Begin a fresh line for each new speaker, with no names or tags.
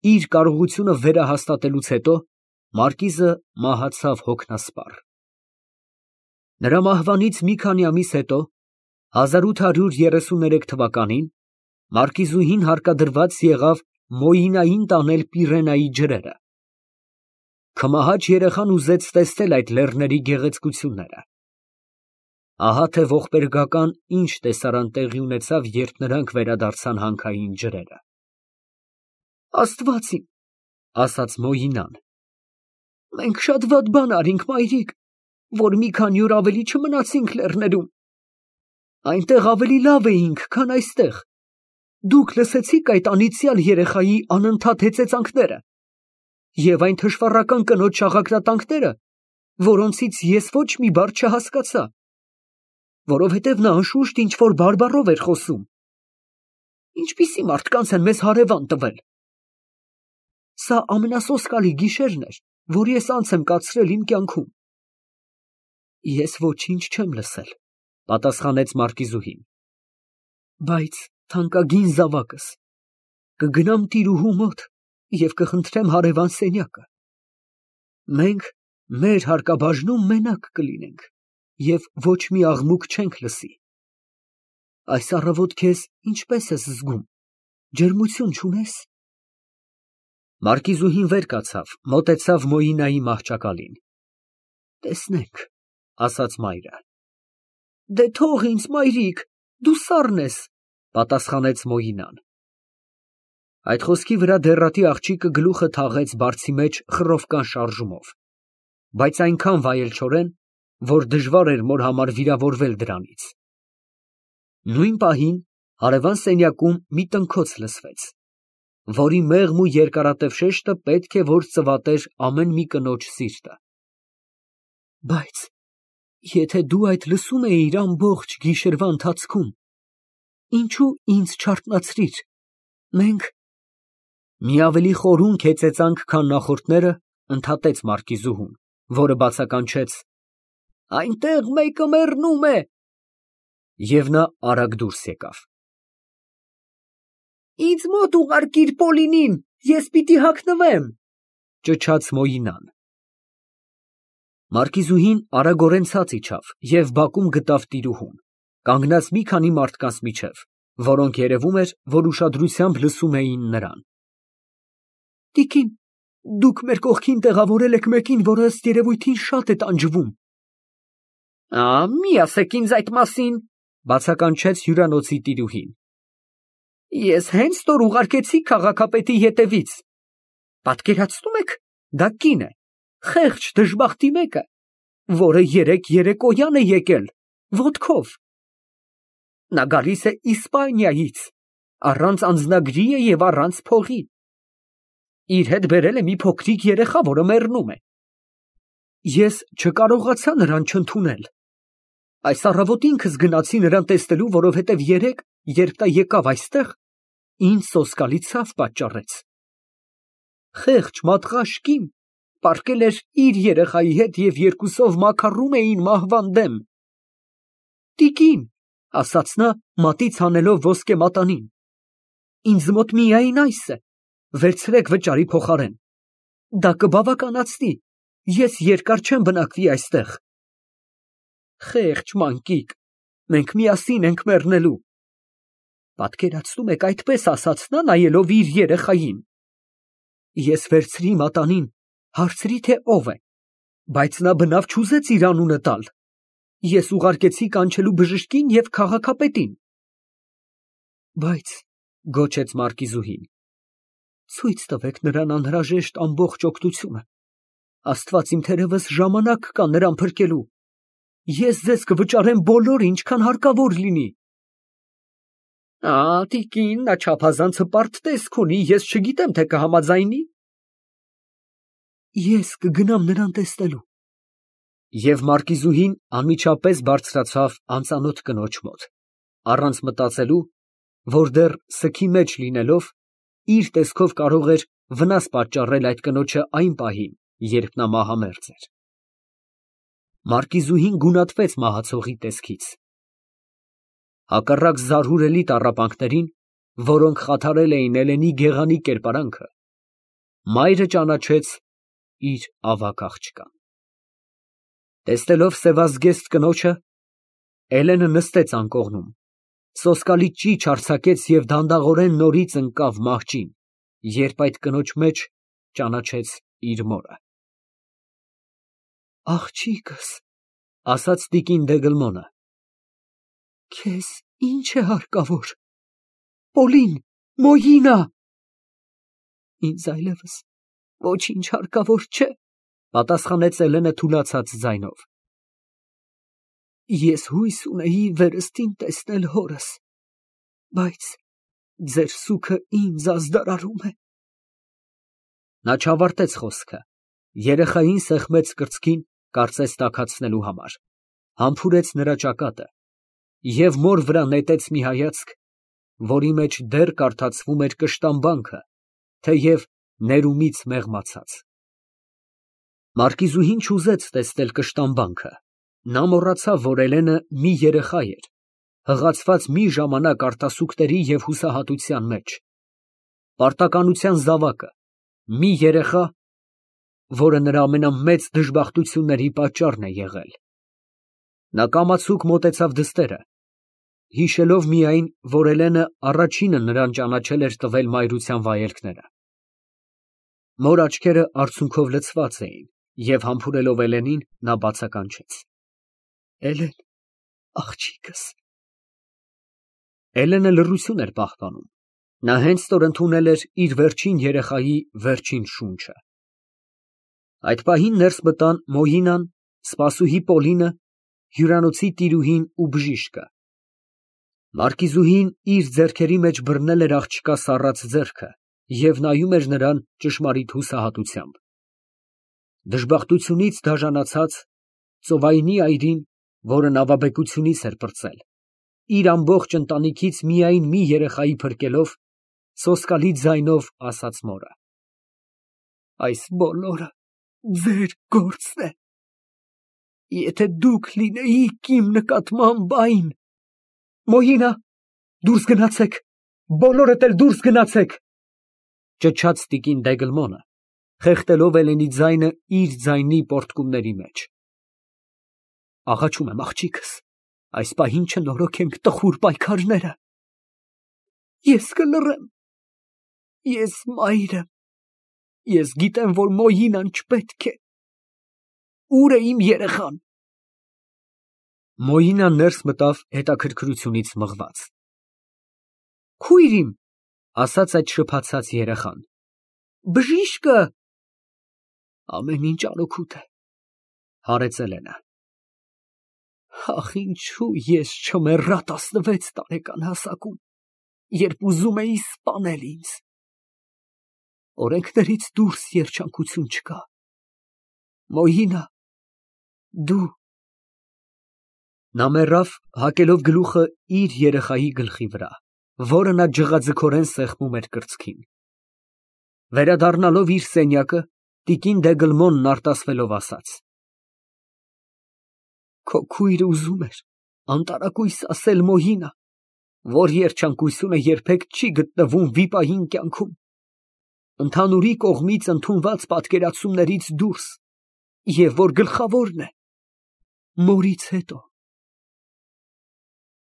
Իր կարողությունը վերահաստատելուց հետո մարկիզը մահացավ հոգնասպառ։ Նրա մահվանից մի քանի ամիս հետո, 1833 թվականին, մարկիզուհին հարկադրված եղավ Մոյինային տանել Պիրենայի ջրերը։ Քմահաճ երեխան ուզեց տեսնել այդ լեռների գեղեցկությունները։ Ահա թե ողբերգական ինչ տեսարան տեղի ունեցավ, երբ նրանք վերադարձան հանքային ջրերը։ Աստված իմ, ասաց Մոյինան, մենք շատ վատ բան արինք, մայրիկ, որ մի քանի օր ավելի չմնացինք լեռներում։ Այնտեղ ավելի լավ էինք, քան այստեղ։ Դուք լսեցիք այդ անիծյալ երեխայի անընդհատ հեծեծանքները և այն թշվառական կնոջ շաղակրատանքները, որոնցից ես ոչ մի բառ չհասկացա, որովհետև նա անշուշտ ինչ-որ բարբառով էր խոսում։ Ինչպիսի մարդկանց են մեզ հարևան տվել։ Սա ամենասոսկալի գիշերն էր, որ ես անց եմ կացրել իմ կյանքում։ Ես ոչինչ չեմ լսել, պատասխանեց մարկիզուհին, բայց թանկագին զավակս, կգնամ տիրուհու մոտ և կխնդրեմ հարևան սենյակը։ Մենք մեր հարկաբաժնում մենակ կլինենք և ոչ մի աղմուկ չենք լսի։ Այս առավոտ քեզ ինչպես ես զգում, ջերմություն չունե՞ս։ Մարկիզուհին վեր կացավ, մոտեցավ Մոյինայի մահճակալին։ Տեսնենք, ասաց մայրը։ Դե թող ինձ, մայրիկ, դու սառն ես, պատասխանեց Մոյինան։ Այդ խոսքի վրա դեռատի աղջիկը գլուխը թաղեց բարձի մեջ խռովկան շարժումով, բայց այնքան վայելչորեն, որ դժվար էր մոր համար վիրավորվել դրանից։ Նույն պահին հարևան սենյակում մի տնքոց լսվեց, որի մեղմ ու երկարատև շեշտը պետք է որ ծվատեր ամեն մի կնոջ սիրտը։ Բայց եթե դու այդ լսում էիր ամբողջ գիշերվա ընթացքում, ինչու ինձ չարթնացրիր, մենք… Մի ավելի խորհուն հեծեծանք, քան նախորդները, ընդհատեց մարկիզուհուն, որը բացականչեց. Այնտեղ մեկը մեռնում է… Եվ նա արագ դուրս եկավ։ Ինձ մոտ ուղարկիր Պոլինին, ես պիտի հագնվեմ, ճչաց Մոյինան։ Մարկիզուհին արագորեն ցած իջավ և բակում գտավ տիրուհուն, կանգնած մի քանի մարդկանց միջև, որոնք երևում էր, որ ուշադրությամբ լսում էին նրան։ Տիկին, դուք մեր կողքին տեղավորել եք մեկին, որը ըստ երևույթին շատ է տանջվում։ Մի ասեք ինձ այդ մասին, բացականչեց հյուրանոցի տիրուհին։ Ես հենց որ ուղարկեցի քաղաքապետի ետևից։ Պատկերացնում եք, դա կին է, խեղճ դժբախտի մեկը, որը երեկոյան է եկել, ոտքով։ Նա գալիս է Իսպանիայից, առանց անձնագրի է և առանց փողի։ Իր հետ բերել է մի փոքրիկ երեխա, որը մեռնում է։ Ես չկարողացա նրան չընդունել։ Այս առավոտ ինքս գնացի նրան տեսնելու, որովհետև երեկ, երբ նա եկավ այստեղ, ինձ սոսկալի ցավ պատճառեց։ Խեղճ մատղաշ կին պառկել էր իր երեխայի հետ և երկուսով մաքարում էին մահվան դեմ։ Տիկին, ասաց նա, մատից հանելով ոսկե մատանին, ինձ մոտ միայն այս է, վերցրեք վճարի փոխարեն։ Դա կբավականացնի, ես երկար չեմ բնակվի այստեղ։ Խեղճ մանկիկ, մենք միասին ենք մեռնելու։ Պատկերացնում եք, այդպես ասաց նա, նայելով իր երեխային։ Ես վերցրի մատանին, հարցրի, թե ով է, բայց նա բնավ չուզեց իր անունը տալ։ Ես ուղարկեցի կանչելու բժշկին և քաղաքապետին։ Բայց, գոչեց մարկիզուհին, ցույց տվեք նրան անհրաժեշտ ամբողջ օգնությունը։ Աստված իմ թերևս ժամանակ կա նրան փրկելու։ Ես ձեզ կվճարեմ բոլորը, ինչքան հարկավոր լինի։ Տիկին, նա չափազանց հպարտ տեսք ունի, ես չգիտեմ, թե կհամաձայնի։ Ես կգնամ նրան տեսնելու։ Եվ մարկիզուհին անմիջապես բարձրացավ անծանոթ կնոջ մոտ, առանց մտածելու, որ դեռ սգի մեջ լինելով, իր տեսքով կարող էր վնաս պատճառել այդ կնոջը այն պահին, երբ նա մահամերձ էր։ Մարկիզուհին գունատվեց մահացողի տեսքից։ Հակառակ զարհուրելի տառապանքներին, որոնք խաթարել էին Էլենի գեղանի կերպարանքը, Մայրը ճանաչեց իր ավագ աղջկան։ Տեսնելով սևազգեստ կնոջը, Էլենը նստեց անկողնում, սոսկալի ճիչ արձակեց և դանդաղորեն նորից ընկավ մահճին, երբ այդ կնոջ մեջ ճանաչեց իր մորը։ Աղջիկս, ասաց տիկին Դեգլմոնը, քեզ ինչ է հարկավոր, Պոլին, Մոյինա։ Ինձ այլևս ոչինչ հարկավոր չէ, պատասխանեց Էլենը թուլացած ձայնով։ Ես հույս ունեի վերստին տեսնել հորս, բայց ձեր սուգը ինձ ազդարարում է։ Նա չավարտեց խոսքը, երեխային սեղմեց կրծքին, կարծես տաքացնելու համար, համբուրեց նրա ճակատը և մոր վրա նետեց մի հայացք, որի մեջ դեռ կարդացվում էր կշտամբանքը, թեև ներումից մեղմացած։ Մարկիզուհին չուզեց տեսնել կշտամբանքը, նա մոռացավ, որ Էլենը մի երեխա էր, հղացված մի ժամանակ արտասուքների և հուսահատության մեջ, պարտականության զավակը, մի երեխա, որը նրա ամենամեծ դժբախտությունների պատճառն է եղել։ Նա կամացուկ մոտեցավ դստերը, հիշելով միայն, որ Էլենը առաջինը նրան ճանաչել էր տվել մայրության վայելքները։ Մոր աչքերը արցունքով լցված էին, և համբուրելով Էլենին, նա բացականչեց. Էլեն, աղջիկս։ Էլենը լռություն էր պահպանում, նա հենց որ ընդունել էր իր վերջին երեխայի վերջին շունչը։ Այդ պահին ներս մտան Մոյինան, սպասուհի Պոլինը, հյուրանոցի տիրուհին ու բժիշկը։ Մարկիզուհին իր ձեռքերի մեջ բռնել էր աղջկա սառած ձեռքը և նայում էր նրան ճշմարիտ հուսահատությամբ։ Դժբախտությունից դաժանացած, ծովայնի այրին, որը նավաբեկությունից էր պրծել, իր ամբողջ ընտանիքից միայն մի երեխայի փրկելով, սոսկալի ձայնով ասաց մորը. Այս բոլորը ձեր գործն է։ Եթե դուք լինեիք իմ նկատմամբ այն… Մոյինա, դուրս գնացեք, բոլորդ էլ դուրս գնացեք, ճչաց տիկին Դեգլմոնը, խեղդելով Էլենի ձայնը իր ձայնի պոռթկումների մեջ։ Աղաչում եմ, աղջիկս, այս պահին չնորոգենք տխուր պայքարները։ Ես կլռեմ, ես մայր եմ, ես գիտեմ, որ Մոյինան չպետք է… Ուր է իմ երեխան։ Մոյինան ներս մտավ հետաքրքրությունից մղված։ Քույր իմ, ասաց այդ շփաթած երեխան, բժիշկը… Ամեն ինչ անօգուտ է, հարեց Էլենը։ Ախ, ինչու ես չմեռա 16 տարեկան հասակում, երբ ուզում էի սպանել ինձ… Օրենքներից դուրս երջանկություն չկա։ Մոյինա, դու… Նա մեռավ, հակելով գլուխը իր երեխայի գլխի վրա, որը նա ջղաձգորեն սեղմում էր կրծքին։ Վերադառնալով իր սենյակը, տիկին Դեգլմոնն արտասվելով ասաց. Քո քույրը ուզում էր անտարակույս ասել Մոյինա, որ երջանկությունը երբեք չի գտնվում վիպային կյանքում, ընդհանուրի կողմից ընդունված պատկերացումներից դուրս, և որ գլխավորն է, մորից հետո